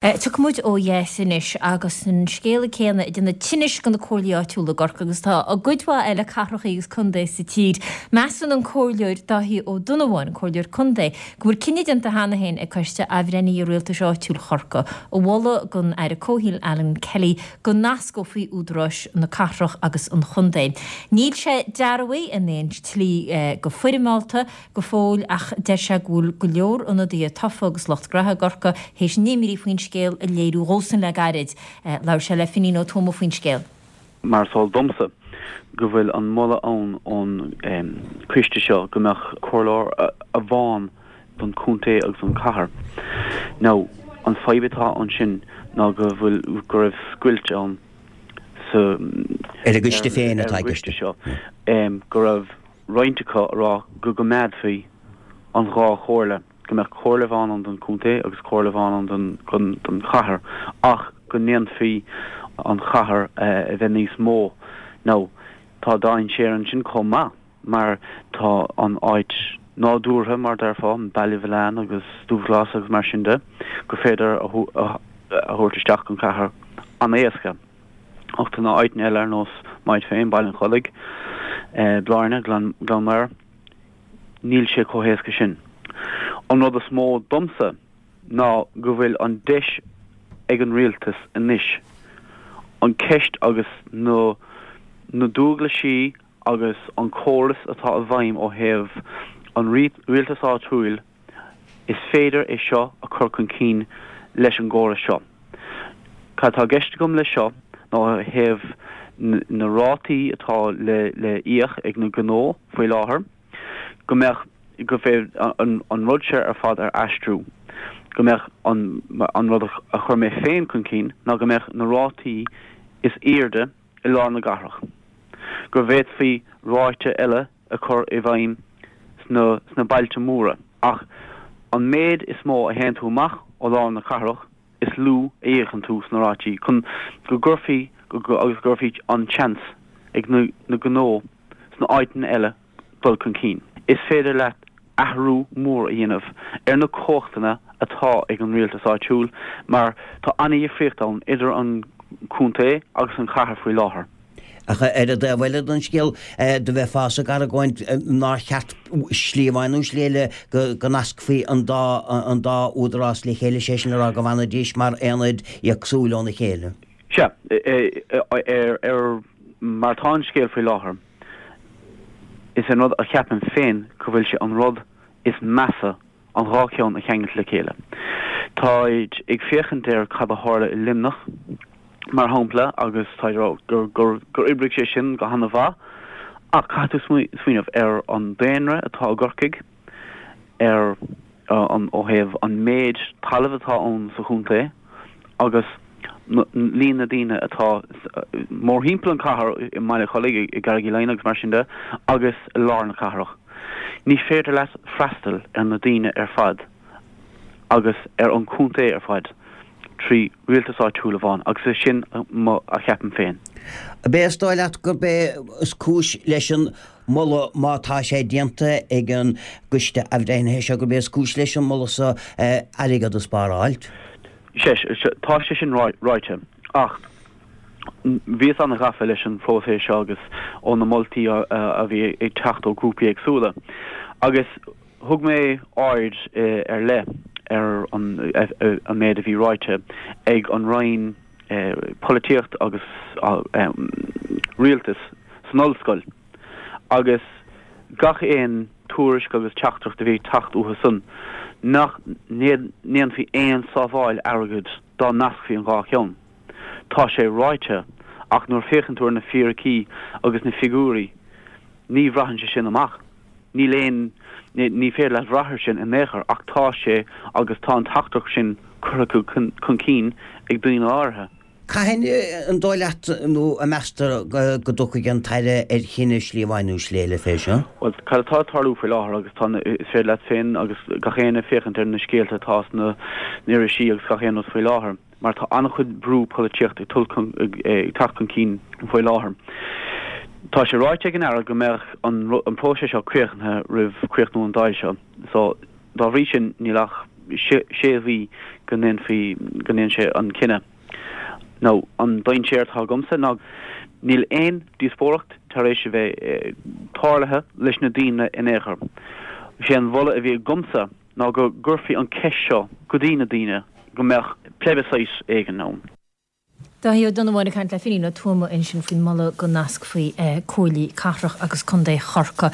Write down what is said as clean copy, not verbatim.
Tiocfaidh muid ó dheas anois agus an scéala céanna ag déanamh tinnis do na comhairlí áitiúla i gCorcaigh agus tá i gcuid mhaith eile cathracha agus contae sa tír. Measann an Comhairleoir Dáithí Ó Donnabháin, an Comhairleoir Contae, go bhfuil cinneadh déanta cheana féin ag Coiste Athbhreithnithe Rialtais Áitiúil Chorcaí a mholadh don Aire Comhshaoil Alan Kelly go nascófaí údaráis na cathrach agus an chontae. Níl sé dearbhaithe in aon tslí go foirmeálta go fóill ach deir sé go bhfuil go leor ionadaithe tofa agus lucht graithe i gCorcaigh théis a n-imní faoin scéal a léiriú dhósan le gairid. Labhair sé le Finín Ó Tuama faoin scéal. Mar is eol domsa go bhfuil an moladh ann ón coiste seo go mbeadh comhairleoir amháin don chontae agus don chathair. Now an fadhb atá ansin ná go bhfuil go raibh scoilt ann sa Ar an gcoiste féin atá i gceist. seo go raibh roinnt acu a rá go gcoimeádfaí an dhá chomhairle, go mbeadh comhairle amháin ann don chontae agus comhairle amháin ann don chathair ach go ndéanfaí an chathair a bheith níos mó. Now, tá dainséar ansin chomh maith mar tá an áit nádúrtha, mar déarfá, Baile Mhileáin agus Dubhghlas agus mar sin de, gur féidir a thabhairt isteach don chathair an-éasca. Ach tá na áiteanna eile ar nós m'áit féin, Baile an Chollaigh, Blarney, Gleann Maghair, níl sé chomh héasca sin. An rud is mó domsa ná go bhfuil an deis ag an rialtas anois an ceist agus na na dualgaisí agus an córas atá i bhfeidhm ó thaobh an rialtas áitiúil Is féidir é seo a chur chun cinn leis an gcóras seo. Cad atá i gceist agam leis seo ná ó thaobh na rátaí atá le íoc ag na gnó faoi láthair, go mbeadh, go bhféadfaí an rud seo ar fad a aistriú, go mbeadh an, an rud a chuir mé féin chun cinn ná go mbeadh na rátaí is airde i lár na gcathrach, go bhféadfaí ráta eile a chur i bhfeidhm sna sna bailte móra, ach an méid is mó a théann tú amach ó lár na cathrach, is lú a íocann tú sna rátaí, chun go gcuirfí agus go gcuirfí an seans ag na na gnó sna áiteanna eile dul chun cinn. Is féidir leat athrú mór a dhéanamh ar na cumhachtanna atá ag an rialtas áitiúil mar tá an-dhifríocht ann idir an contae agus an chathair faoi láthair. Ach ar an dtaobh eile den scéal, do bheifeása ag argóint nár cheart slí amháin nó slí eile go nascfaí an dá an dá údarás le chéile, sé sin le rá go bhfanfaidís mar aonaid éagsúil óna chéile. Sea, ar mar atá an scéal faoi láthair, is é an rud a cheapaim féin go bhfuil sé an rud is measa an dhá cheann a cheangailt le chéile. Táid ag féachaint ar cad a tharla i Luimneach, mar shampla, agus táid ag rá gur gur oibrigh sé sin go hana-mhaith, ach caithfidh tú smaoineamh ar an daonra atá i gCorcaigh, ar an ó thaobh an méid talaimh atá ann sa chontae agus líon na daoine atá mórthimpeall an chathair i mBaile Chollaigh, i gCarraig Uí Leighin agus mar sin de, agus i lár na cathrach. Ní féidir leat freastal ar na daoine ar fad agus ar an chontae ar fad trí rialtas áitiúil amháin agus is sin a cheapaim féin. Ab é is dóigh leat gurb é is cúis leis an moladh, má tá sé déanta ag an gcoiste athbhreithnithe seo, gurb é is cúis leis an moladh so airgead a spáráilt? Sea, tá sé sin ráite. Ach bhíos an-ghafa leis an phróiseas seo agus ó na moltaí a bhí ag teacht ó ghrúpaí éagsúla. Agus thug mé aird ar leith ar an méid a bhí ráite ag an Roinn Polaitíocht agus Rialtas san ollscoil. Agus gach aon tuairisc agus teachtaireacht a bhí ag teacht uathu san, nach ndéanfaí aon sábháil airgid dá nascfaí an dhá cheann. Tá sé ráite, ach nuair a féachann tú ar na fíricí agus na figiúirí, ní bhraitheann sé sin amach. Níl aon, ní féidir leat bhrath ar sin in aon chor, ach tá sé agus tá an teachtaireacht sin curtha chun cinn ag daoine áirithe. Cathain an dóigh leat nó a meastar go dtiocfaidh an tAire ar chinneadh slí amháin nó slí eile fé seo? Bhuel, cad atá ag tarlú faoi láthair agus tá, is féidir leat féin agus gach éinne féachaint ar na scéalta atá sna irisí agus gach aon rud faoi láthair, mar tá an-chuid brú polaitíochta ag ag teacht chun cinn faoi láthair. Tá sé ráite ag an Aire go mbeadh an próiseas seo críochnaithe roimh chríochnú an Dáil seo, so dá bhrí sin níl ach sé mhí. Go ndéanfaí, go ndéanfaidh sé an cinneadh. Now, an dainséar atá agamsa ná níl aon díospóireacht tar éis a bheith tarlaithe leis na daoine in aon chor. Sé an mholadh a bhí agamsa ná go gcuirfí an ceist seo go dtí na daoine, go mbeadh plebiscite éigin ann. Dáithí Ó Donnabháin ag caint le Finín Ó Tuama ansin faoin moladh go nascfaí comhairlí cathrach agus contae Chorcaí.